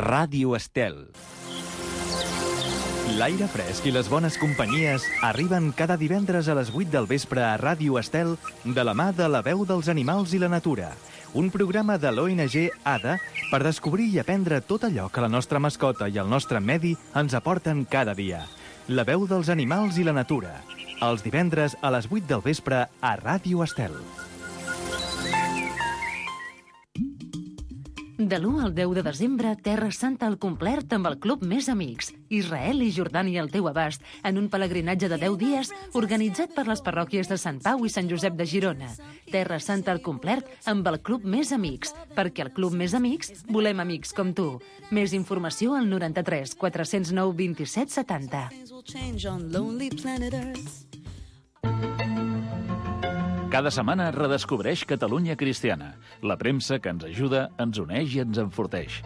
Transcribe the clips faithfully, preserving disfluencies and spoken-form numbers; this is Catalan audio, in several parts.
Ràdio Estel. L'aire fresc i les bones companyies arriben cada divendres a les vuit del vespre a Ràdio Estel de la mà de La Veu dels Animals i la Natura, un programa de l'O N G ADA per descobrir i aprendre tot allò que la nostra mascota i el nostre medi ens aporten cada dia. La Veu dels Animals i la Natura, els divendres a les vuit del vespre a Ràdio Estel. De l'u al deu de desembre, Terra Santa al complet amb el Club Més Amics. Israel i Jordània al teu abast, en un pelegrinatge de deu dies organitzat per les parròquies de Sant Pau i Sant Josep de Girona. Terra Santa al complet amb el Club Més Amics, perquè al Club Més Amics volem amics com tu. Més informació al noranta-tres quatre zero nou vint-i-set setanta. Cada setmana redescobreix Catalunya Cristiana, la premsa que ens ajuda, ens uneix i ens enforteix.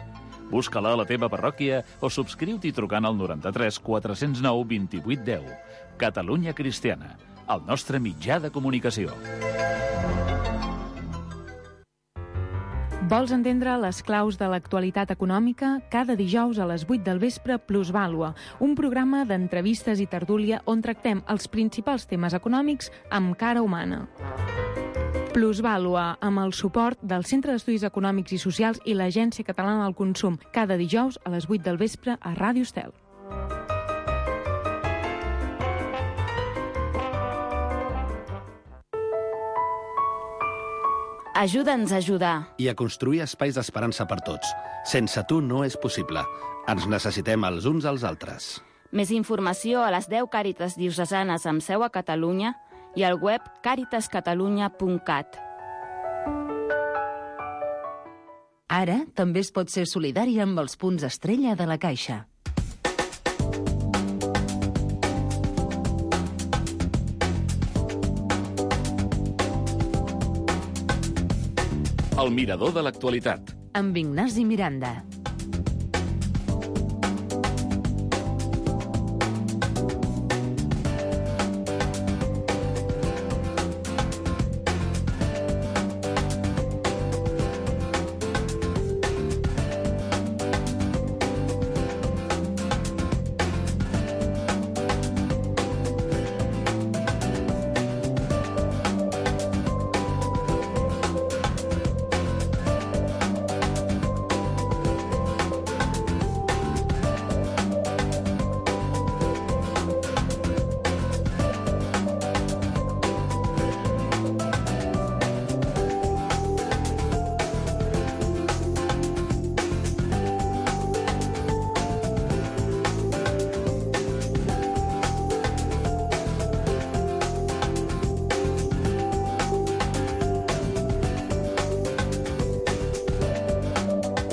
Busca-la a la teva parròquia o subscriu-t'hi trucant al noranta-tres quatre zero nou vint-i-vuit deu. Catalunya Cristiana, el nostre mitjà de comunicació. Vols entendre les claus de l'actualitat econòmica? Cada dijous a les vuit del vespre, Plusvàlua, un programa d'entrevistes i tertúlia on tractem els principals temes econòmics amb cara humana. Plusvàlua, amb el suport del Centre d'Estudis Econòmics i Socials i l'Agència Catalana del Consum, cada dijous a les vuit del vespre a Ràdio Estel. Ajuda'ns a ajudar. I a construir espais d'esperança per tots. Sense tu no és possible. Ens necessitem els uns als altres. Més informació a les deu Càritas diocesanes amb seu a Catalunya i al web càritas catalunya punt cat. Ara també es pot ser solidari amb els punts estrella de la Caixa. El mirador de l'actualitat. Amb Ignasi Miranda.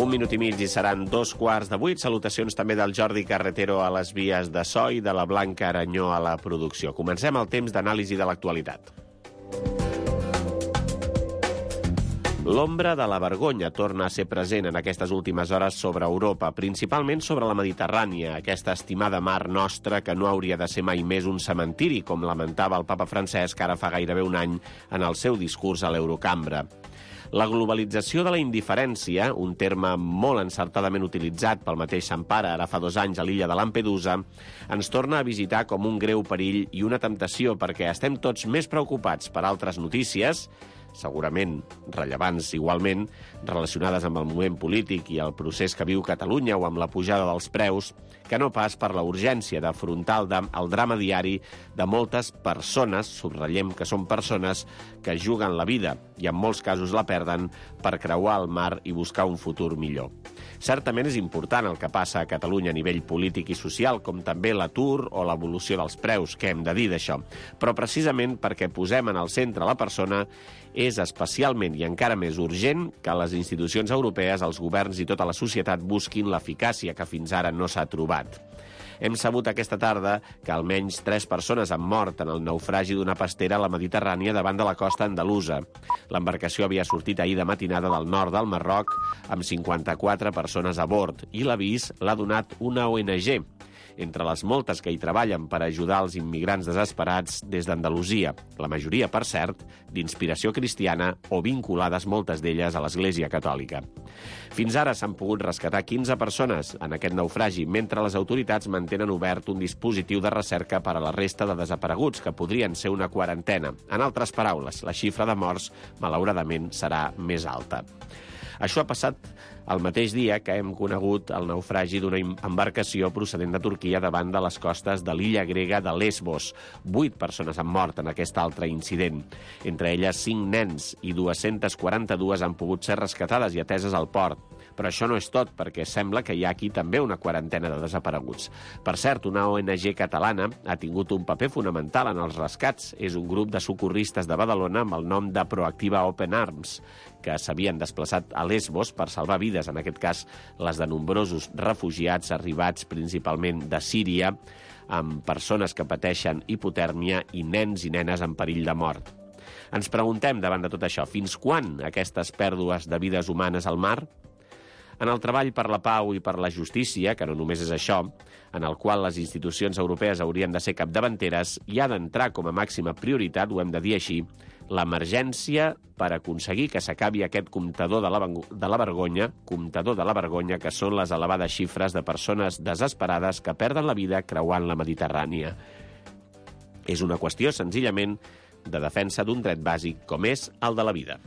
Un minut i mig i seran dos quarts de vuit. Salutacions també del Jordi Carretero a les vies de so i de la Blanca Aranyó a la producció. Comencem el temps d'anàlisi de l'actualitat. L'ombra de la vergonya torna a ser present en aquestes últimes hores sobre Europa, principalment sobre la Mediterrània, aquesta estimada mar nostra que no hauria de ser mai més un cementiri, com lamentava el papa Francesc ara fa gairebé un any en el seu discurs a l'Eurocambra. La globalització de la indiferència, un terme molt encertadament utilitzat pel mateix Sant Pare ara fa dos anys a l'illa de Lampedusa, ens torna a visitar com un greu perill i una temptació perquè estem tots més preocupats per altres notícies, segurament rellevants igualment, relacionades amb el moment polític i el procés que viu Catalunya o amb la pujada dels preus, que no pas per la urgència d'afrontar el, el drama diari de moltes persones, subratllem que són persones que juguen la vida i en molts casos la perden per creuar el mar i buscar un futur millor. Certament és important el que passa a Catalunya a nivell polític i social, com també l'atur o l'evolució dels preus, què hem de dir d'això. Però precisament perquè posem en el centre la persona, és especialment i encara més urgent que les institucions europees, els governs i tota la societat busquin l'eficàcia que fins ara no s'ha trobat. Hem sabut aquesta tarda que almenys tres persones han mort en el naufragi d'una pastera a la Mediterrània davant de la costa andalusa. L'embarcació havia sortit ahir de matinada del nord del Marroc amb cinquanta-quatre persones a bord i l'avís l'ha donat una O N G. entre les moltes que hi treballen per ajudar els immigrants desesperats des d'Andalusia, la majoria, per cert, d'inspiració cristiana o vinculades moltes d'elles a l'Església Catòlica. Fins ara s'han pogut rescatar quinze persones en aquest naufragi, mentre les autoritats mantenen obert un dispositiu de recerca per a la resta de desapareguts, que podrien ser una quarantena. En altres paraules, la xifra de morts, malauradament, serà més alta. Això ha passat el mateix dia que hem conegut el naufragi d'una embarcació procedent de Turquia davant de les costes de l'illa grega de Lesbos. Vuit persones han mort en aquest altre incident. Entre elles, cinc nens i dues-centes quaranta-dues han pogut ser rescatades i ateses al port. Però això no és tot, perquè sembla que hi ha aquí també una quarantena de desapareguts. Per cert, una O N G catalana ha tingut un paper fonamental en els rescats. És un grup de socorristes de Badalona amb el nom de Proactiva Open Arms, que s'havien desplaçat a Lesbos per salvar vides, en aquest cas les de nombrosos refugiats arribats principalment de Síria, amb persones que pateixen hipotèrmia i nens i nenes en perill de mort. Ens preguntem, davant de tot això, fins quan aquestes pèrdues de vides humanes al mar? En el treball per la pau i per la justícia, que no només és això, en el qual les institucions europees haurien de ser capdavanteres, hi ha d'entrar com a màxima prioritat, ho hem de dir així, l'emergència per aconseguir que s'acabi aquest comptador de la, de la vergonya, comptador de la vergonya, que són les elevades xifres de persones desesperades que perden la vida creuant la Mediterrània. És una qüestió, senzillament, de defensa d'un dret bàsic com és el de la vida.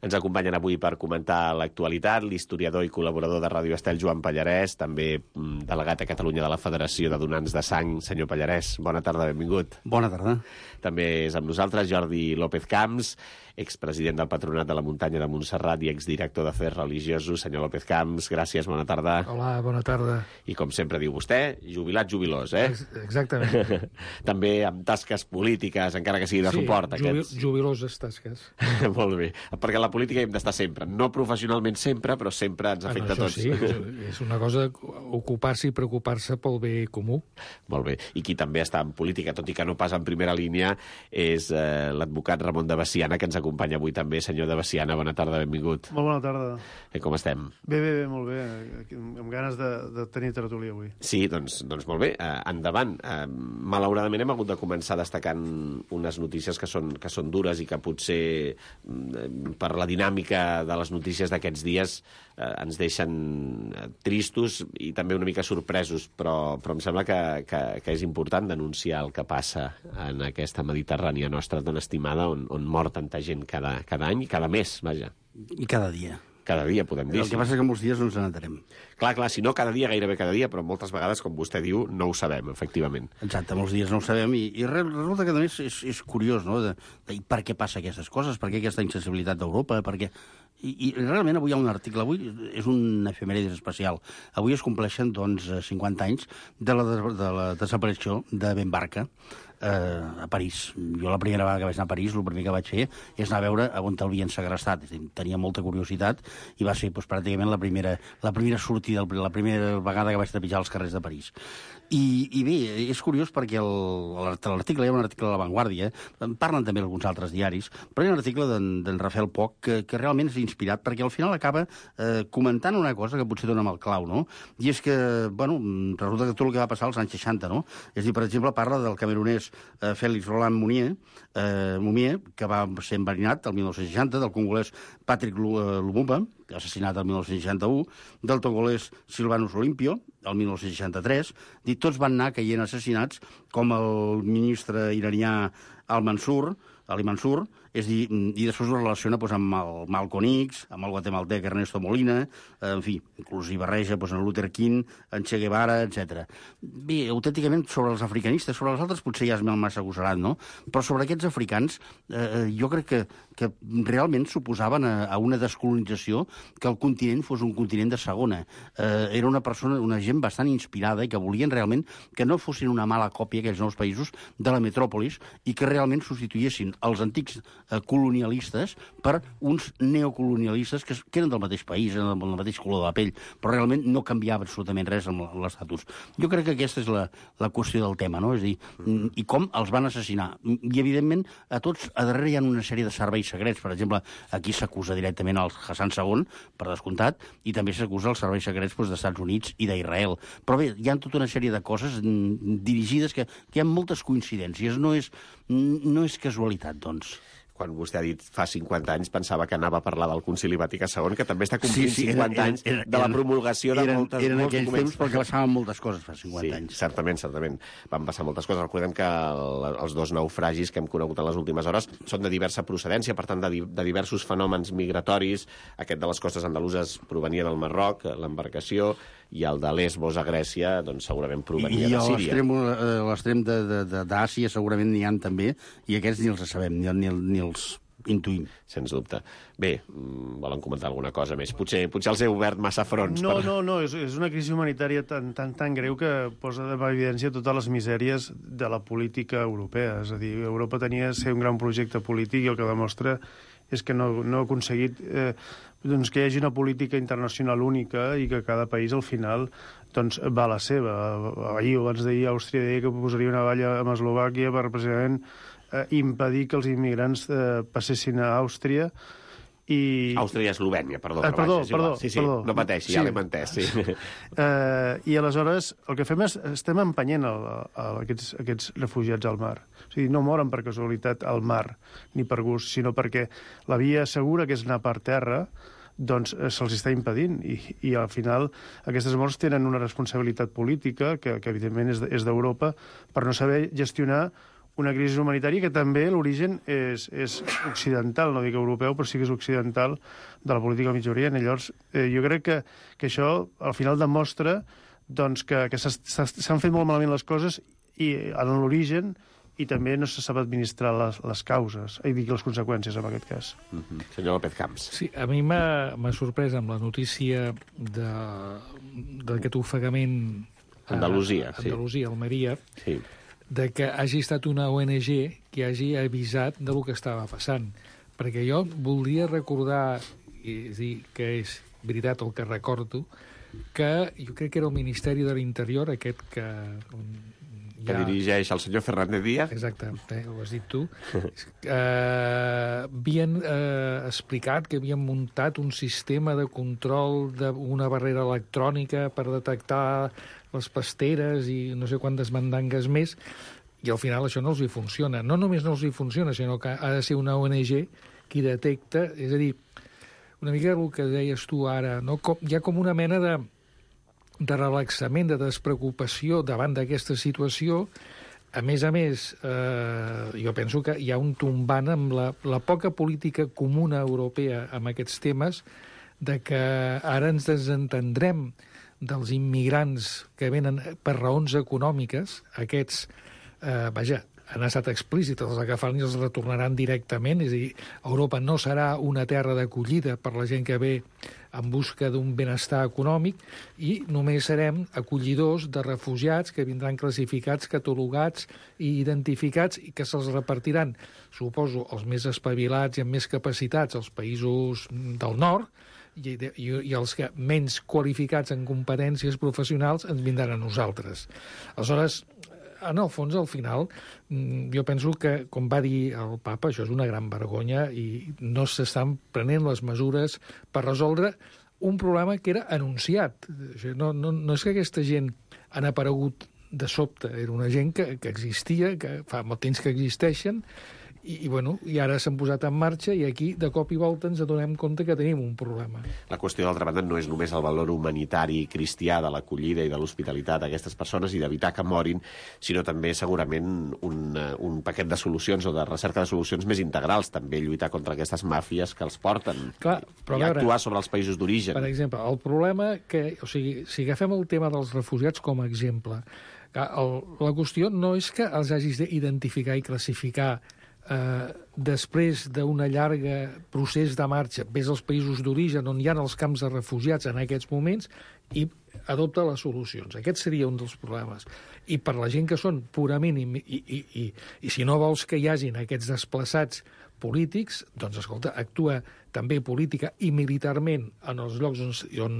Ens acompanyen avui per comentar l'actualitat l'historiador i col·laborador de Ràdio Estel, Joan Pallarès, també delegat a Catalunya de la Federació de Donants de Sang. Senyor Pallarès, bona tarda, benvingut. Bona tarda. També és amb nosaltres Jordi López Camps, expresident del Patronat de la Muntanya de Montserrat i exdirector d'Afers Religiosos. Senyor López Camps, gràcies, bona tarda. Hola, bona tarda. I com sempre diu vostè, jubilat jubilós, eh? Exactament. També amb tasques polítiques, encara que sigui de sí, suport. Jubil aquests. Jubiloses tasques. Molt bé, perquè la política hem d'estar sempre. No professionalment sempre, però sempre ens afecta bueno, a tots. Sí, és una cosa ocupar-se i preocupar-se pel bé comú. Molt bé. I qui també està en política, tot i que no pas en primera línia, és eh, l'advocat Ramon de Veciana, que ens acompanya avui també. Senyor de Veciana, bona tarda, benvingut. Molt bona tarda. Eh, com estem? Bé, bé, bé, molt bé. Amb ganes de, de tenir tertúlia avui. Sí, doncs, doncs molt bé. Eh, endavant. Eh, malauradament hem hagut de començar destacant unes notícies que són, que són dures i que potser eh, per la dinàmica de les notícies d'aquests dies eh, ens deixen tristos i també una mica sorpresos, però, però em sembla que, que, que és important denunciar el que passa en aquesta Mediterrània nostra tan estimada, on, on mor tanta gent cada, cada any i cada mes, vaja. I cada dia. Cada dia, podem dir. El que passa és que molts dies no ens n'entenem. Clar, clar, si no cada dia, gairebé cada dia, però moltes vegades, com vostè diu, no ho sabem, efectivament. Exacte, molts dies no ho sabem, i, i resulta que, a més, és, és curiós, no?, de, de per què passa aquestes coses, per què aquesta insensibilitat d'Europa, per què... I, I realment avui hi ha un article, avui és un efemèrides especial. Avui es compleixen, doncs, cinquanta anys de la, de la desaparició de Ben Barka, eh, a París. Jo la primera vegada que vaig anar a París, el primer que vaig fer és anar a veure on l'havien segrestat. Tenia molta curiositat i va ser doncs, pràcticament la primera, la primera sortida, la primera vegada que vaig trepitjar els carrers de París. I, i bé, és curiós perquè l'article, hi ha un article de La Vanguardia, en parlen també alguns altres diaris, però hi ha un article d'en Rafael Poch que, que realment és inspirat, perquè al final acaba eh, comentant una cosa que potser dona mal clau, no? I és que, bueno, resulta que tot el que va passar als anys seixanta, no? És a dir, per exemple, parla del camerunès eh, Félix Roland Mounier, eh, Mounier, que va ser enverinat el mil nou-cents seixanta, del congolès Patrick Lumumba, assassinat el mil nou-cents seixanta-u, del togolès Silvanus Olimpio, el mil nou-cents seixanta-tres, i tots van anar caient assassinats, com el ministre iranià Al-Mansur, Ali Mansur, és dir, i després ho relaciona doncs, amb el Malcolm X, amb el guatemaltec Ernesto Molina, en fi, inclús hi barreja doncs, en Luther King, en Che Guevara, etcètera. Bé, autènticament, sobre els africanistes, sobre els altres potser ja és massa agosarat, no? Però sobre aquests africans, eh, jo crec que, que realment suposaven a, a una descolonització que el continent fos un continent de segona. Eh, era una persona, una gent bastant inspirada i que volien realment que no fossin una mala còpia, aquells nous països, de la metròpolis, i que realment realment substituïssin els antics eh, colonialistes per uns neocolonialistes que, que eren del mateix país, eren del mateix color de la pell, però realment no canviava absolutament res amb l'estatus. Jo crec que aquesta és la, la qüestió del tema, no? És a dir, i com els van assassinar. I, evidentment, a tots a darrere hi ha una sèrie de serveis secrets. Per exemple, aquí s'acusa directament al Hassan segon, per descomptat, i també s'acusa els serveis secrets doncs, dels Estats Units i d'Israel. Però bé, hi ha tota una sèrie de coses dirigides que, que hi ha moltes coincidències. No és, no és casualitat, doncs. Quan vostè ha dit fa cinquanta anys, pensava que anava a parlar del Concili Vaticà segon, que també està complint sí, sí, cinquanta eren, anys eren, eren, de la promulgació de eren, moltes, eren molts aquells documents. temps perquè passaven moltes coses fa cinquanta sí, anys. certament, certament. Van passar moltes coses. Recordem que el, els dos naufragis que hem conegut en les últimes hores són de diversa procedència, per tant, de, di de diversos fenòmens migratoris. Aquest de les costes andaluses provenia del Marroc, l'embarcació, i el de Lesbos a Grècia, doncs segurament provenia I de Síria. I l'extrem d'Àsia segurament n'hi ha també, i aquests ni els sabem, ni, ni, ni els intuïm. Sens dubte. Bé, volen comentar alguna cosa més? Potser, potser els he obert massa fronts. No, per... no, no, és, és una crisi humanitària tan, tan, tan greu que posa en evidència totes les misèries de la política europea. És a dir, Europa tenia ser un gran projecte polític i el que demostra és que no, no ha aconseguit eh, doncs que hi hagi una política internacional única i que cada país al final doncs, va a la seva. Ahir o abans d'ahir Àustria deia que posaria una valla amb Eslovàquia per precisament eh, impedir que els immigrants eh, passessin a Àustria i... Àustria i Eslovènia, perdó. Eh, perdó, baix, perdó, sí, sí, perdó. No pateixi, sí. Ja l'hem entès. Sí. Eh, I aleshores el que fem és estem empenyent el, el, aquests, aquests refugiats al mar. O sigui, no moren per casualitat al mar, ni per gust, sinó perquè la via segura, que és anar per terra, doncs se'ls està impedint. I, i al final aquestes morts tenen una responsabilitat política, que, que evidentment és d'Europa, per no saber gestionar una crisi humanitària que també l'origen és, és occidental, no dic europeu, però sí que és occidental de la política del Mig Orient. I llavors, eh, jo crec que, que això al final demostra doncs, que, que s'han fet molt malament les coses i en l'origen i també no se sap administrar les, les causes, i dic les conseqüències en aquest cas. Mm-hmm. Senyor López Camps. Sí, a mi m'ha sorprès amb la notícia d'aquest ofegament a Andalusia, a Andalusia, sí. Almeria, sí. de que hagi estat una O N G que hagi avisat de lo que estava passant. Perquè jo voldria recordar, i dir que és veritat el que recordo, que jo crec que era el Ministeri de l'Interior, aquest que... que ja... dirigeix el senyor Fernández Díaz. Exacte, eh, ho has dit tu. eh, havien eh, explicat que havien muntat un sistema de control d'una barrera electrònica per detectar les pasteres i no sé quantes mandangues més, i al final això no els hi funciona. No només no els hi funciona, sinó que ha de ser una O N G qui detecta, és a dir, una mica el que deies tu ara, no? Com, hi ha com una mena de de relaxament, de despreocupació davant d'aquesta situació. A més a més, eh, jo penso que hi ha un tombant amb la, la poca política comuna europea amb aquests temes, de que ara ens desentendrem dels immigrants que venen per raons econòmiques. Aquests, eh, vaja, han estat explícits, els agafaran i els retornaran directament, és a dir, Europa no serà una terra d'acollida per la gent que ve en busca d'un benestar econòmic, i només serem acollidors de refugiats que vindran classificats, catalogats i identificats, i que se'ls repartiran, suposo, els més espavilats i amb més capacitats als països del nord, i, i, i els que menys qualificats en competències professionals ens vindran a nosaltres. Aleshores, en el fons, al final, jo penso que, com va dir el papa, això és una gran vergonya i no s'estan prenent les mesures per resoldre un problema que era anunciat. No, no, no és que aquesta gent han aparegut de sobte, era una gent que, que existia, que fa molt temps que existeixen, i, i, bueno, i ara s'han posat en marxa i aquí, de cop i volta, ens adonem compte que tenim un problema. La qüestió, d'altra banda, no és només el valor humanitari cristià de l'acollida i de l'hospitalitat a aquestes persones i d'evitar que morin, sinó també, segurament, un, un paquet de solucions o de recerca de solucions més integrals, també lluitar contra aquestes màfies que els porten. Clar, però i veure, actuar sobre els països d'origen. Per exemple, el problema que... O sigui, si agafem el tema dels refugiats com a exemple, el, la qüestió no és que els hagis d'identificar i classificar eh, després d'un llarg procés de marxa, ves als països d'origen on hi ha els camps de refugiats en aquests moments, i adopta les solucions. Aquest seria un dels problemes. I per la gent que són purament... I, i, i, i, i si no vols que hi hagin aquests desplaçats polítics, doncs, escolta, actua també política i militarment en els llocs on, on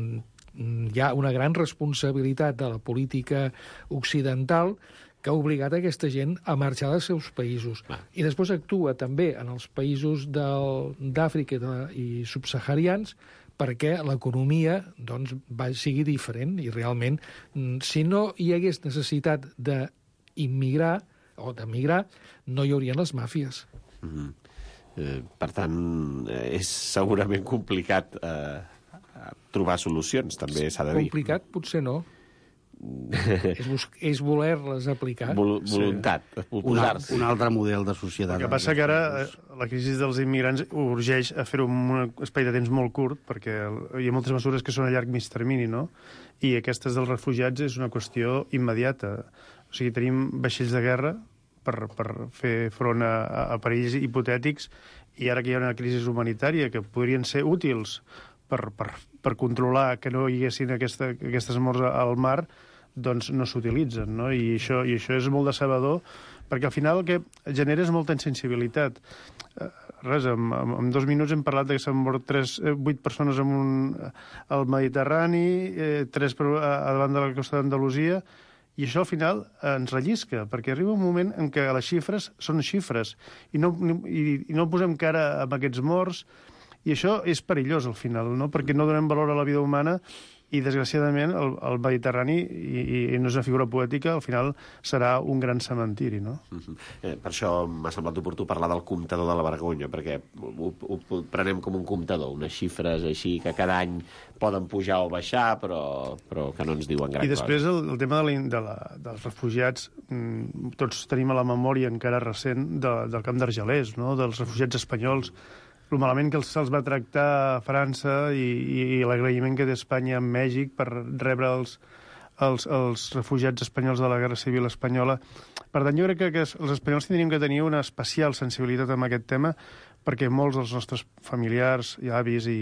hi ha una gran responsabilitat de la política occidental que ha obligat aquesta gent a marxar dels seus països. Ah. I després actua també en els països d'Àfrica i subsaharians perquè l'economia doncs, va, sigui diferent i realment, si no hi hagués necessitat d'immigrar o d'emigrar, no hi haurien les màfies. Mm-hmm. eh, per tant, és segurament complicat eh, trobar solucions, també s'ha de dir. Complicat? Potser no. és, és voler-les aplicar. Vol, voluntat, sí. un, un altre model de societat. El que passa que ara la crisi dels immigrants urgeix a fer-ho en un espai de temps molt curt, perquè hi ha moltes mesures que són a llarg mig termini, no? I aquestes dels refugiats és una qüestió immediata. O sigui, tenim vaixells de guerra per, per fer front a, a perills hipotètics, i ara que hi ha una crisi humanitària que podrien ser útils per, per, per controlar que no hi haguessin aquesta, aquestes morts al mar, doncs no s'utilitzen, no? I això, i això és molt decebedor, perquè al final el que genera és molta insensibilitat. Eh, res, en, en dos minuts hem parlat que s'han mort tres, eh, vuit persones en un, al Mediterrani, eh, tres per, a, a davant de la costa d'Andalusia, i això al final ens rellisca, perquè arriba un moment en què les xifres són xifres, i no, i, i no posem cara amb aquests morts, i això és perillós al final, no? Perquè no donem valor a la vida humana, i, desgraciadament, el, el Mediterrani, i, i no és una figura poètica, al final serà un gran cementiri, no? Uh-huh. eh, per això m'ha semblat oportú parlar del comptador de la vergonya, perquè ho, ho, ho prenem com un comptador, unes xifres així que cada any poden pujar o baixar, però, però que no ens diuen gran cosa. I després el, el tema de la, de la, dels refugiats, mmm, tots tenim a la memòria encara recent de, del camp d'Argelers, no? Dels refugiats espanyols, el malament que se'ls va tractar a França i, i, i l'agraïment que té Espanya amb Mèxic per rebre els, els, els refugiats espanyols de la Guerra Civil Espanyola. Per tant, jo crec que, que els espanyols tindríem que tenir una especial sensibilitat amb aquest tema, perquè molts dels nostres familiars, i avis i,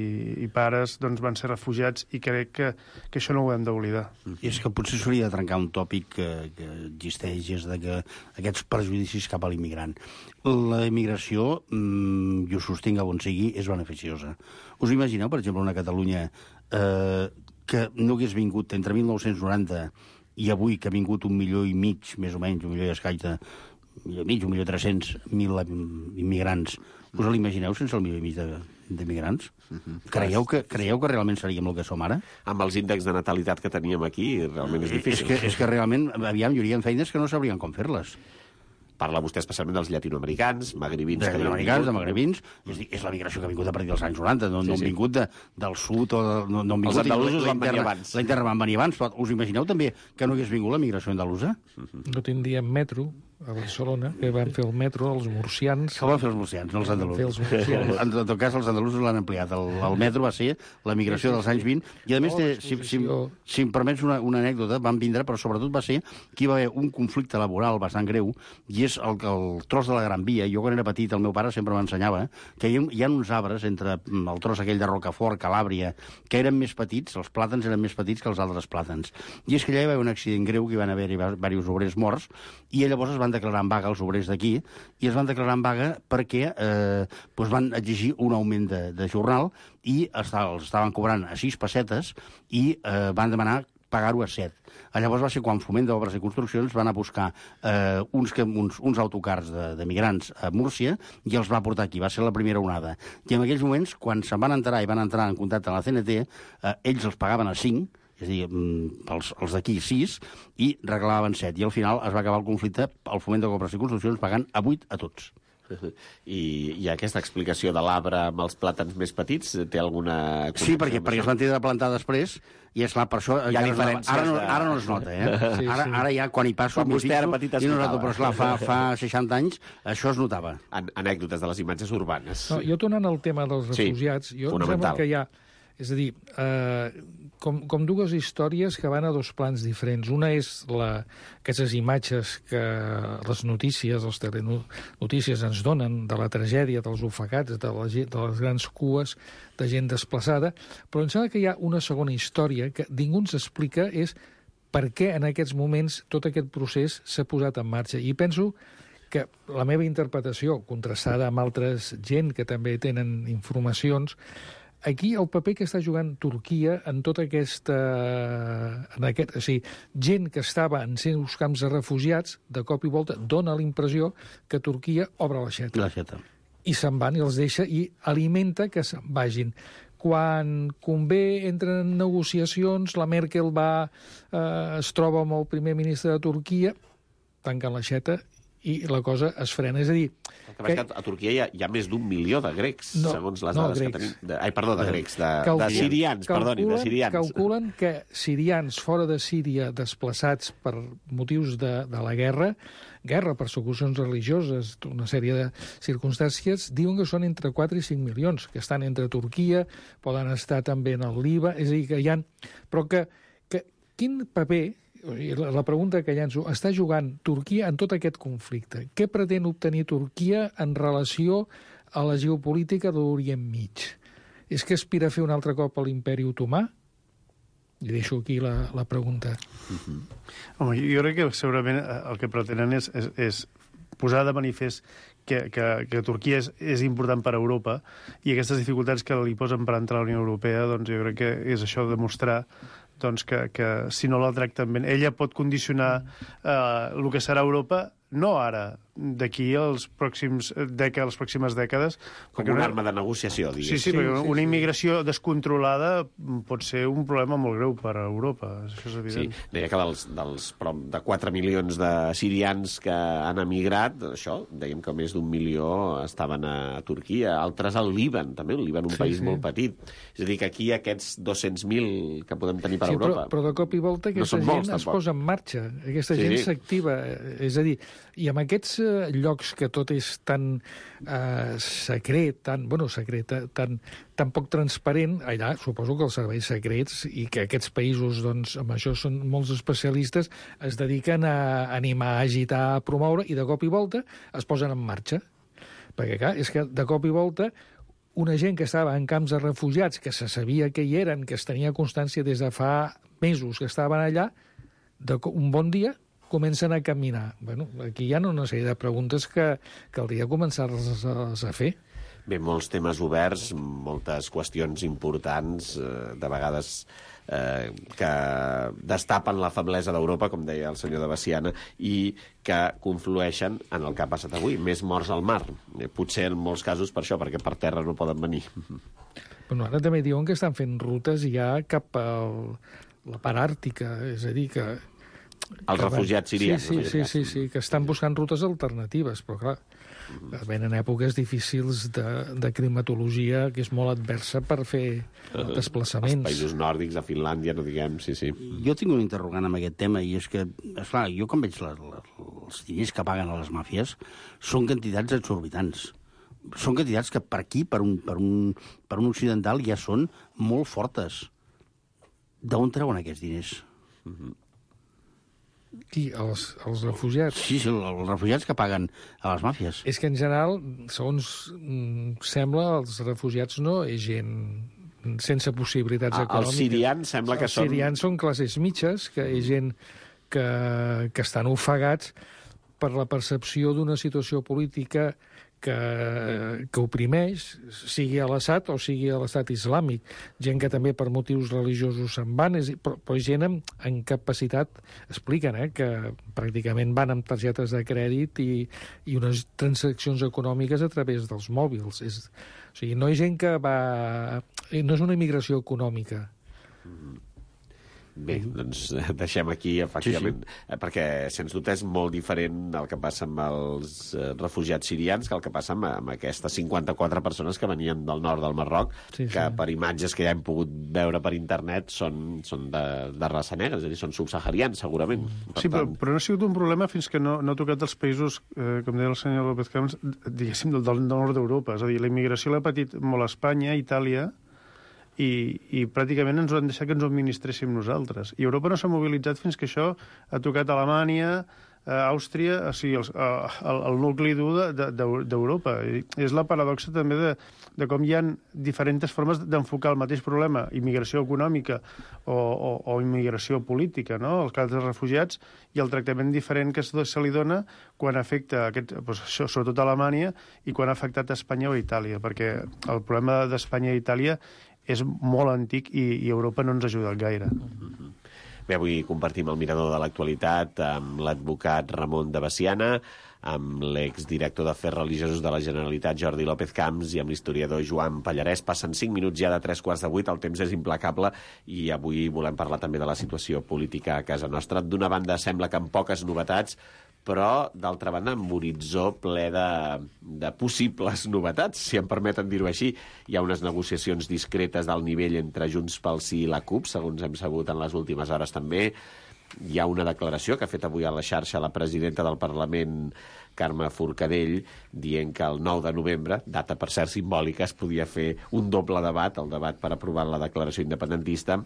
i pares doncs, van ser refugiats, i crec que, que això no ho hem d'oblidar. I és que potser s'hauria de trencar un tòpic que, que existeix, és de que aquests prejudicis cap a l'immigrant. La immigració, mmm, jo sostinc on sigui, és beneficiosa. Us imagineu, per exemple, una Catalunya eh, que no hagués vingut entre mil nou-cents noranta i avui, que ha vingut un milió i mig, més o menys, un milió i escaig de un milió i mig, un milió tres-cents mil immigrants. Us l'imagineu sense el milió i mig d'immigrants? Uh-huh. Creieu, que, creieu que realment seríem el que som ara? Amb els índexs de natalitat que teníem aquí, realment és difícil. És que, és que realment, aviam, hi hauria feines que no sabrien com fer-les. Parla vostè especialment dels llatinoamericans, magribins... De llatinoamericans, de magribins. És, és la migració que ha vingut a partir dels anys noranta, no, sí, no han sí. vingut de, del sud o... De, no, no han vingut... Els andalusos van venir abans. La interna van venir abans, però us imagineu també que no hagués vingut la migració andalusa? No tindríem metro a Barcelona, que van fer el metro, els murcians... Que van fer els murcians, no els andalusos. En tot cas, els andalusos l'han ampliat. El, el metro va ser la migració dels anys vint, i a més, té, si, si, si em permets una, una anècdota, van vindre, però sobretot va ser que hi va haver un conflicte laboral bastant greu, i és el, el tros de la Gran Via. Jo, quan era petit, el meu pare sempre m'ensenyava que hi ha, hi ha uns arbres entre el tros aquell de Rocafort, Calàbria, que eren més petits, els plàtans eren més petits que els altres plàtans. I és que allà hi va haver un accident greu, que hi van haver diversos obrers morts, i llavors es van declarar en vaga els obrers d'aquí, i es van declarar en vaga perquè eh, doncs van exigir un augment de, de jornal, i estaven, els estaven cobrant a sis pessetes, i eh, van demanar pagar-ho a set. Llavors va ser quan Foment d'Obres i Construccions van a buscar eh, uns, uns, uns autocars de, de migrants a Múrcia, i els va portar aquí. Va ser la primera onada. I en aquells moments, quan se'n van enterar i van entrar en contacte amb la C N T, eh, ells els pagaven a cinc, és a dir, els, els d'aquí sis, i reclamaven set. I al final es va acabar el conflicte, el Foment d'Obres i Construccions pagant a vuit a tots. I, i aquesta explicació de l'arbre amb els plàtans més petits té alguna... Sí, perquè, perquè es van tenir de plantar després, i és clar, per això... Hi ha diferències. Ara, no, ara no es nota, eh? Sí, ara, sí. ara ja, quan hi passo... Quan vostè era petit es notava. Però esclar, fa, fa seixanta anys això es notava. An anècdotes de les imatges urbanes. No, jo tornant al tema dels refugiats, sí, jo em sembla que hi ha, És a dir, eh, com, com dues històries que van a dos plans diferents. Una és la, aquestes imatges que les notícies, les telenotícies ens donen de la tragèdia dels ofegats, de, la, de les grans cues de gent desplaçada, però em sembla que hi ha una segona història que ningú ens explica, és per què en aquests moments tot aquest procés s'ha posat en marxa. I penso que la meva interpretació, contrastada amb altres gent que també tenen informacions, aquí el paper que està jugant Turquia en tota aquesta... En aquest, o sigui, gent que estava en seus camps de refugiats, de cop i volta dona l'impressió que Turquia obre l'aixeta. L'aixeta. I se'n van i els deixa i alimenta que se'n vagin. Quan convé, entren en negociacions, la Merkel va, eh, es troba amb el primer ministre de Turquia, tanquen l'aixeta i la cosa es frena. És a dir... Que... que a Turquia hi ha, hi ha més d'un milió de grecs, no, segons les no, dades grecs. que tenim. De, ai, perdó, de grecs, de, Calculen, de sirians, perdoni, de sirians. Calculen que sirians fora de Síria desplaçats per motius de, de la guerra, guerra, persecucions religioses, una sèrie de circumstàncies, diuen que són entre quatre i cinc milions, que estan entre Turquia, poden estar també en el Líban, és a dir, que hi ha... Però que, que quin paper... La pregunta que llanço, està jugant Turquia en tot aquest conflicte? Què pretén obtenir Turquia en relació a la geopolítica de l'Orient Mig? És que aspira a fer un altre cop a l'imperi otomà? I deixo aquí la, la pregunta. Uh-huh. Home, jo crec que segurament el que pretenen és, és, és posar de manifest que, que, que Turquia és, és important per a Europa i aquestes dificultats que li posen per entrar a la Unió Europea, doncs jo crec que és això de demostrar doncs que, que si no la tracten bé, ella pot condicionar eh, el que serà Europa, no ara, d'aquí als pròxims dècades, les pròximes dècades. Com una arma de negociació, diguéssim. Sí, sí, perquè sí, una immigració sí. descontrolada pot ser un problema molt greu per a Europa, això és evident. Sí, deia que dels, dels prop de quatre milions de sirians que han emigrat, això, dèiem que més d'un milió estaven a Turquia, altres al Líban, també, el Líban un sí, país sí. molt petit. És a dir, que aquí aquests dos-cents mil que podem tenir per sí, Europa... Però, però de cop i volta aquesta no gent molts, es posa en marxa, aquesta sí. gent s'activa, és a dir, i amb aquests eh, llocs que tot és tan eh, secret, tan, bueno, secret, tan, tan poc transparent, allà suposo que els serveis secrets i que aquests països, doncs, amb això són molts especialistes, es dediquen a animar, a agitar, a promoure, i de cop i volta es posen en marxa. Perquè, clar, és que de cop i volta una gent que estava en camps de refugiats, que se sabia que hi eren, que es tenia constància des de fa mesos que estaven allà, de un bon dia comencen a caminar. Bueno, aquí hi ha una sèrie de preguntes que caldria començar-les a fer. Bé, molts temes oberts, moltes qüestions importants, eh, de vegades eh, que destapen la feblesa d'Europa, com deia el senyor de Baciana, i que conflueixen en el que ha passat avui, més morts al mar. Eh, potser en molts casos per això, perquè per terra no poden venir. Bueno, ara també diuen que estan fent rutes ja cap a la part àrtica, és a dir, que... Els refugiats sirians. Sí, sí, sí, sí, sí, que estan buscant rutes alternatives, però clar, venen èpoques difícils de, de climatologia que és molt adversa per fer desplaçaments. Els països nòrdics, a Finlàndia, no diguem, sí, sí. Jo tinc un interrogant amb aquest tema, i és que, esclar, jo quan veig la, la, els diners que paguen a les màfies, són quantitats exorbitants. Són quantitats que per aquí, per un, per un, per un occidental, ja són molt fortes. D'on treuen aquests diners? Mhm. Qui? Els, els refugiats? Sí, sí, els refugiats que paguen a les màfies. És que, en general, segons mm, sembla, els refugiats no és gent sense possibilitats ah, econòmiques. Els sirians sembla que els són... Els sirians són classes mitges, que és gent que, que estan ofegats per la percepció d'una situació política que, que oprimeix, sigui a l'Assad o sigui a l'Estat islàmic. Gent que també per motius religiosos se'n van, és, però, però gent amb, amb capacitat, expliquen, eh, que pràcticament van amb targetes de crèdit i, i unes transaccions econòmiques a través dels mòbils. És, o sigui, no és gent que va... No és una immigració econòmica. Bé, doncs deixem aquí, efectivament, sí, sí. perquè, sens dubte, és molt diferent el que passa amb els eh, refugiats sirians que el que passa amb, amb aquestes cinquanta-quatre persones que venien del nord del Marroc, sí, que sí. per imatges que ja hem pogut veure per internet són, són de, de raça negra, és a dir, són subsaharians, segurament. Per sí, tant... però, però no ha sigut un problema fins que no, no ha tocat els països, eh, com deia el senyor López Camps, diguéssim, del, del nord d'Europa. És a dir, la immigració l'ha patit molt a Espanya, a Itàlia, i, i pràcticament ens ho han deixat que ens ho administréssim nosaltres. I Europa no s'ha mobilitzat fins que això ha tocat Alemanya, Àustria, o sigui, el, el, el nucli dur d'Europa. De, de, és la paradoxa també de, de com hi ha diferents formes d'enfocar el mateix problema, immigració econòmica o, o, o immigració política, no? El cas dels refugiats i el tractament diferent que se li dona quan afecta aquest, doncs això, sobretot a Alemanya, i quan ha afectat a Espanya o a Itàlia, perquè el problema d'Espanya i Itàlia és molt antic i, i Europa no ens ha ajudat gaire. Mm-hmm. Bé, avui compartim el mirador de l'actualitat amb l'advocat Ramon de Veciana, amb l'exdirector d'Afers Religiosos de la Generalitat, Jordi López Camps, i amb l'historiador Joan Pallarès. Passen cinc minuts ja de tres quarts de vuit, el temps és implacable, i avui volem parlar també de la situació política a casa nostra. D'una banda, sembla que amb poques novetats, però, d'altra banda, amb horitzó ple de, de possibles novetats, si em permeten dir-ho així. Hi ha unes negociacions discretes del nivell entre Junts pel Sí i la CUP, segons hem sabut en les últimes hores també. Hi ha una declaració que ha fet avui a la xarxa la presidenta del Parlament, Carme Forcadell, dient que el nou de novembre, data per cert simbòlica, es podia fer un doble debat, el debat per aprovar la declaració independentista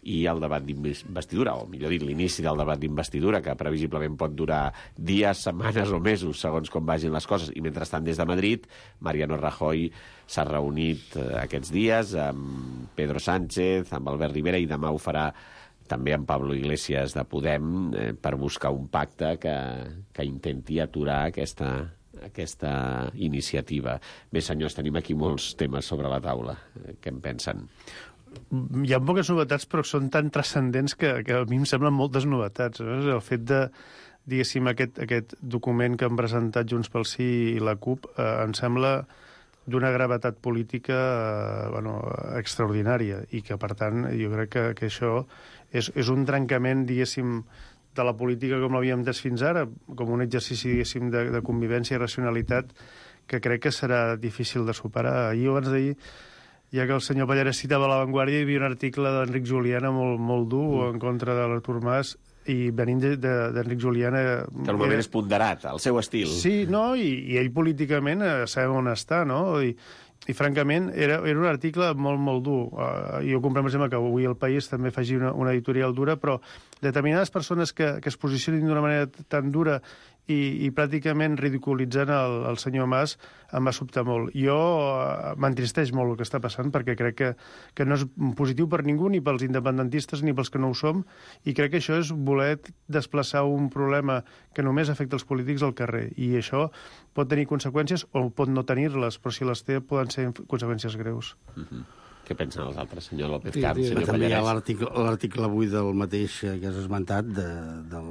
i el debat d'investidura, o millor dit, l'inici del debat d'investidura, que previsiblement pot durar dies, setmanes o mesos, segons com vagin les coses. I mentrestant, des de Madrid, Mariano Rajoy s'ha reunit aquests dies amb Pedro Sánchez, amb Albert Rivera, i demà ho farà també amb Pablo Iglesias de Podem, eh, per buscar un pacte que, que intenti aturar aquesta, aquesta iniciativa. Bé, senyors, tenim aquí molts temes sobre la taula. Eh, què en pensen? Hi ha poques novetats, però són tan transcendents que, que a mi em semblen moltes novetats. No? El fet de, diguéssim, aquest, aquest document que han presentat Junts pel Sí i la CUP eh, em sembla d'una gravetat política eh, bueno, extraordinària, i que, per tant, jo crec que, que això és, és un trencament, diguéssim, de la política com l'havíem entès fins ara, com un exercici, diguéssim, de, de convivència i racionalitat que crec que serà difícil de superar. Ahir o abans d'ahir, ja que el senyor Pallarès citava La Vanguardia, hi havia un article d'Enric Juliana molt, molt dur mm. en contra de l'Artur Mas, i venint d'Enric Juliana... Que normalment era... és ponderat, el seu estil. Sí, no, i, i ell políticament eh, sabem on està, no? I, i francament, era, era un article molt, molt dur. Uh, jo comprem, per exemple, que avui El País també faci una, una editorial dura, però determinades persones que, que es posicionin d'una manera tan dura i, i pràcticament ridiculitzant el, el senyor Mas em va sobtar molt. Jo uh, m'entristeix molt el que està passant, perquè crec que, que no és positiu per ningú, ni pels independentistes ni pels que no ho som, i crec que això és voler desplaçar un problema que només afecta els polítics al carrer, i això pot tenir conseqüències o pot no tenir-les, però si les té poden ser conseqüències greus. Mm-hmm. Què pensen els altres, senyor López Sí, Camps, sí, senyor També hi ha Pallarès? l'article avui del mateix que has esmentat, de, del,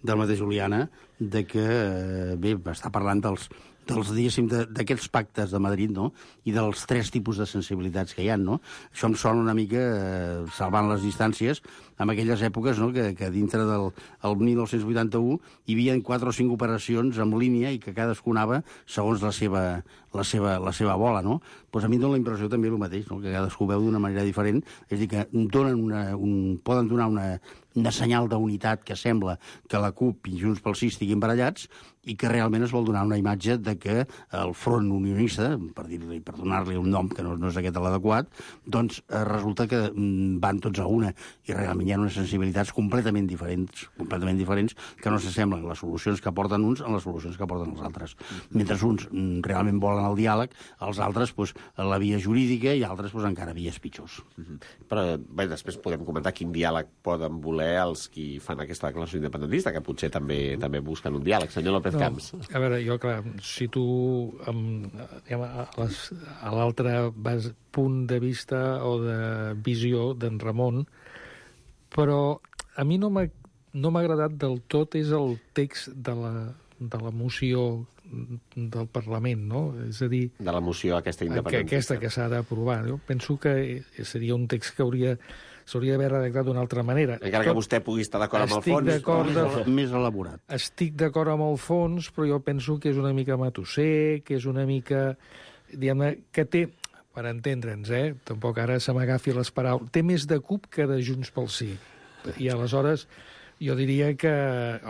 del mateix Juliana, de que, eh, bé, està parlant dels, dels diguéssim, d'aquests pactes de Madrid, no?, i dels tres tipus de sensibilitats que hi ha, no? Això em sona una mica, eh, salvant les distàncies, en aquelles èpoques, no?, que, que dintre del el dinou vuitanta-u hi havia quatre o cinc operacions en línia i que cadascú anava segons la seva, la seva, la seva bola, no? Pues a mi em dona la impressió també el mateix, no?, que cadascú veu d'una manera diferent, és a dir, que donen una, un, poden donar una, una senyal d'unitat que sembla que la CUP i Junts pel Sí estiguin barallats, i que realment es vol donar una imatge de que el front unionista, per dir-li, per donar-li un nom que no, no és aquest l'adequat, doncs eh, resulta que mm, van tots a una, i realment hi ha unes sensibilitats completament diferents, completament diferents, que no s'assemblen les solucions que porten uns a les solucions que porten els altres. Mentre uns mm, realment volen el diàleg, els altres pues, la via jurídica, i altres pues, encara vies pitjors. Mm-hmm. Però bé, després podem comentar quin diàleg poden voler els qui fan aquesta declaració independentista, que potser també també busquen un diàleg. Senyor López Camps. No, a veure, jo, clar, si tu amb, diguem, a, les, a l'altre punt de vista o de visió d'en Ramon, però a mi no m'ha no m'ha agradat del tot és el text de la, de la moció del Parlament, no? És a dir... De la moció aquesta independentista. Aquesta que s'ha d'aprovar. Jo penso que seria un text que hauria s'hauria d'haver redactat d'una altra manera. Encara que vostè pugui estar d'acord amb el fons. D'acord de... Més elaborat. Estic d'acord amb el fons, però jo penso que és una mica matusser, que és una mica... Diguem-ne, que té, per entendre'ns, eh? Tampoc ara se m'agafi les paraules, té més de CUP que de Junts pel Sí. I aleshores jo diria que,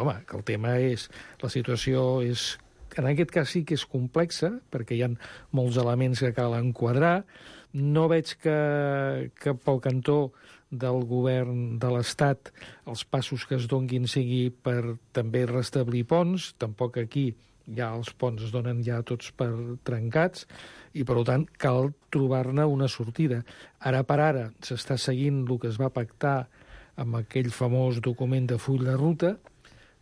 home, que el tema és... La situació és en aquest cas sí que és complexa, perquè hi ha molts elements que cal enquadrar. No veig que, que pel cantó del govern de l'Estat els passos que es donguin sigui per també restablir ponts. Tampoc aquí ja els ponts es donen ja tots per trencats i, per tant, cal trobar-ne una sortida. Ara per ara s'està seguint el que es va pactar amb aquell famós document de full de ruta,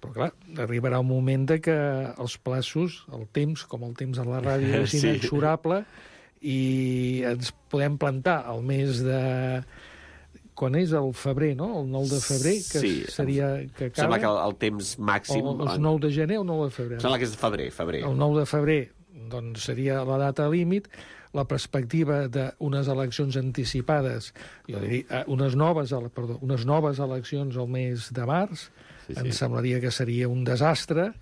però, clar, arribarà un moment de que els plaços, el temps, com el temps a la ràdio, és inexorable i ens podem plantar al mes de... Quan és el febrer, no? El nou de febrer, que sí, seria... Que acaba. Sembla que el, el temps màxim... O el nou de gener o nou de febrer? Sembla que és de febrer, febrer. El nou de febrer, doncs, seria la data límit. La perspectiva d'unes eleccions anticipades, jo diria, unes noves, perdó, unes noves eleccions al mes de març, sí, sí. Em semblaria que seria un desastre,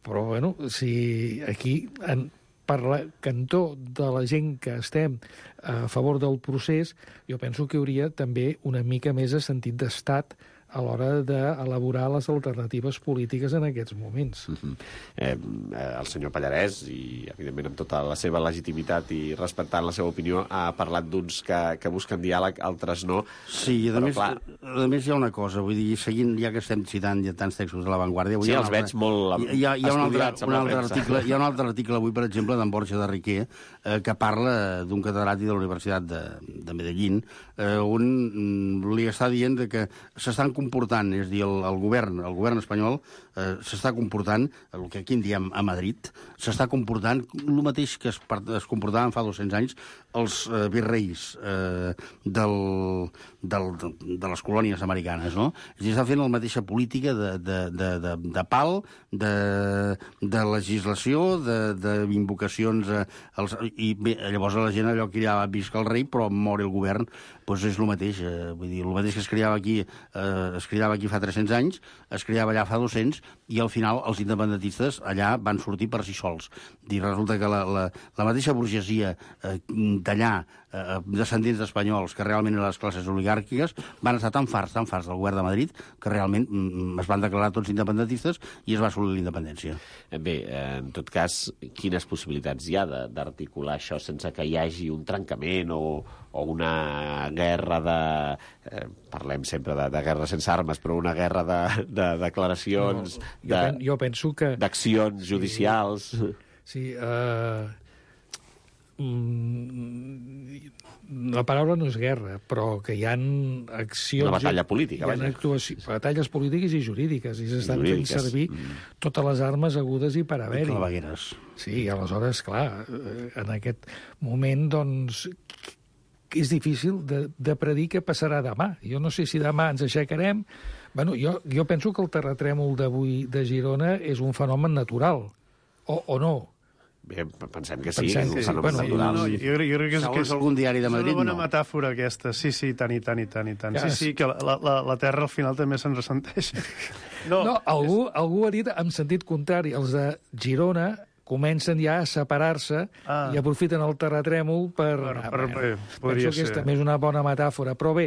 però, bueno, si aquí... En, per la cantó de la gent que estem a favor del procés, jo penso que hauria també una mica més de sentit d'estat a l'hora d'elaborar les alternatives polítiques en aquests moments. Uh-huh. eh, el senyor Pallarès, i evidentment amb tota la seva legitimitat i respectant la seva opinió, ha parlat d'uns que, que busquen diàleg, altres no. Sí, i a més, clar... a més hi ha una cosa, vull dir, seguint, ja que estem citant ja tants textos de l'avantguàrdia... Sí, els veig molt hi ha, hi ha estudiats un altre, un altre article, hi ha un altre article avui, per exemple, d'en Borja de Riquer, eh, que parla d'un catedràtic de la Universitat de, de Medellín, eh, on mm, li està dient que s'estan comportant, és a dir, el, el govern el govern espanyol eh, s'està comportant, el que aquí en diem a Madrid, s'està comportant el mateix que es, es comportaven fa dos-cents anys els eh, virreis eh, del, del, de, de les colònies americanes, no? És a dir, està fent la mateixa política de, de, de, de, de pal, de, de legislació, d'invocacions eh, als, i bé, llavors la gent allò cridava visca el rei, però mori el govern, doncs és el mateix, eh, vull dir, el mateix que es cridava aquí eh, es cridava aquí fa tres-cents anys, es cridava allà fa dos-cents, i al final els independentistes allà van sortir per si sols. I resulta que la, la, la mateixa burgesia eh, d'allà, eh, descendents d'espanyols, que realment eren les classes oligàrquiques, van estar tan farts, tan farts del govern de Madrid, que realment mm, es van declarar tots independentistes i es va assolir la independència. Bé, en tot cas, quines possibilitats hi ha d'articular això sense que hi hagi un trencament o, o una guerra de... Eh, parlem sempre de, de guerra sense armes, però una guerra de, de declaracions, no, jo, de, pen, jo penso que... d'accions sí, judicials... Sí, uh, mm, la paraula no és guerra, però que hi ha accions... Una batalla política, hi ha actuacions, batalles polítiques i jurídiques, i s'estan fent servir mm. totes les armes agudes i per haver-hi. I clavegueres. Sí, aleshores, clar, en aquest moment, doncs... és difícil de, de predir què passarà demà. Jo no sé si demà ens aixecarem... Bueno, jo, jo penso que el terratrèmol d'avui de Girona és un fenomen natural, o, o no. Bé, pensem que sí, pensem que és un que fenomen sí. natural. No, no, jo, crec, jo crec que és, que és algun diari de Madrid, és una bona no. metàfora aquesta. Sí, sí, tant i tant i tant i tant. Ja, sí, sí, que la, la, la Terra al final també se'n ressenteix. No, no algú, és... algú ha dit en sentit contrari. Els de Girona comencen ja a separar-se ah. i aprofiten el terratrèmol per... per, ah, per bueno, bé, podria penso que és ser. també és una bona metàfora. Però bé,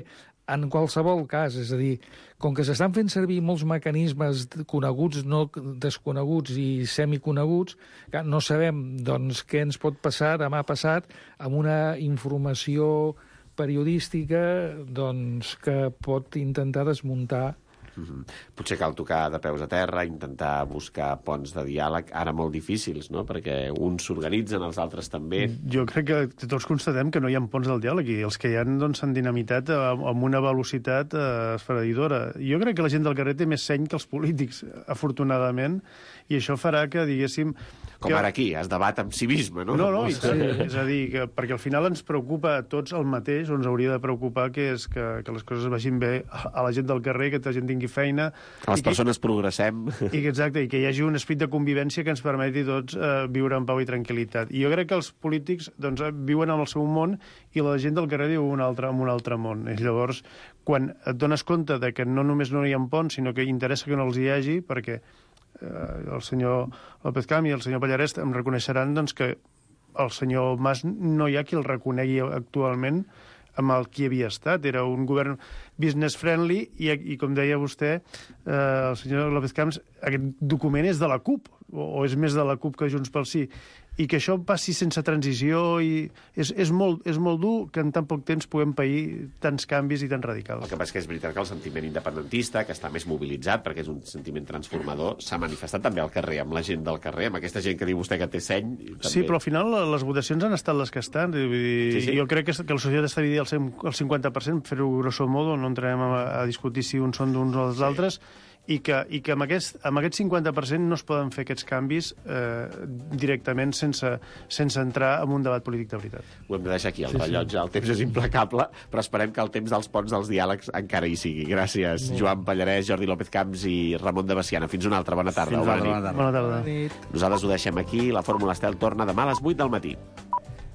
en qualsevol cas, és a dir, com que s'estan fent servir molts mecanismes coneguts, no desconeguts i semiconeguts, que no sabem doncs, què ens pot passar demà passat amb una informació periodística doncs, que pot intentar desmuntar. Mm-hmm. Potser cal tocar de peus a terra, intentar buscar ponts de diàleg, ara molt difícils, no? Perquè uns s'organitzen, els altres també. Jo crec que tots constatem que no hi ha ponts del diàleg i els que hi ha doncs, s'han dinamitat amb una velocitat eh, esfereïdora. Jo crec que la gent del carrer té més seny que els polítics, afortunadament, i això farà que, diguéssim... Com que... ara aquí, es debat amb civisme, no? No, no, i sí, és a dir, que, perquè al final ens preocupa a tots el mateix, o ens hauria de preocupar que és que, que les coses vagin bé a la gent del carrer, que la gent tingui feina... Que les persones que, progressem. I que, exacte, i que hi hagi un esperit de convivència que ens permeti tots eh, viure en pau i tranquil·litat. I jo crec que els polítics doncs, viuen en el seu món i la gent del carrer viu un altre, en un altre món. I llavors, quan et dones compte de que no només no hi ha ponts, sinó que interessa que no els hi hagi, perquè el senyor López Camp i el senyor Pallarès em reconeixeran doncs, que el senyor Mas no hi ha qui el reconegui actualment amb el qui havia estat. Era un govern business-friendly i, i com deia vostè, eh, el senyor López Camps, aquest document és de la CUP. o, o és més de la CUP que Junts pel Sí, i que això passi sense transició, i és, és, molt, és molt dur que en tan poc temps puguem pair tants canvis i tan radicals. El que passa que és veritat que el sentiment independentista, que està més mobilitzat, perquè és un sentiment transformador, s'ha manifestat també al carrer, amb la gent del carrer, amb aquesta gent que diu vostè que té seny. També... Sí, però al final les votacions han estat les que estan. Vull dir, sí, sí. Jo crec que, que la societat està dividida al cinquanta per cent, fer-ho grosso modo, no entrarem a, a discutir si uns són d'uns o dels sí. altres, i que, i que amb, aquest, amb aquest cinquanta per cent no es poden fer aquests canvis eh, directament sense, sense entrar en un debat polític de veritat. Ho hem de deixar aquí, el sí, rellotge. Sí. El temps és implacable, però esperem que el temps dels ponts dels diàlegs encara hi sigui. Gràcies, sí. Joan Pallarès, Jordi López Camps i Ramon de Veciana. Fins una altra. Bona tarda. Fins Bona, bona, nit. bona tarda. Bona tarda. Nosaltres ho deixem aquí. La Fórmula Estel torna demà a les vuit del matí.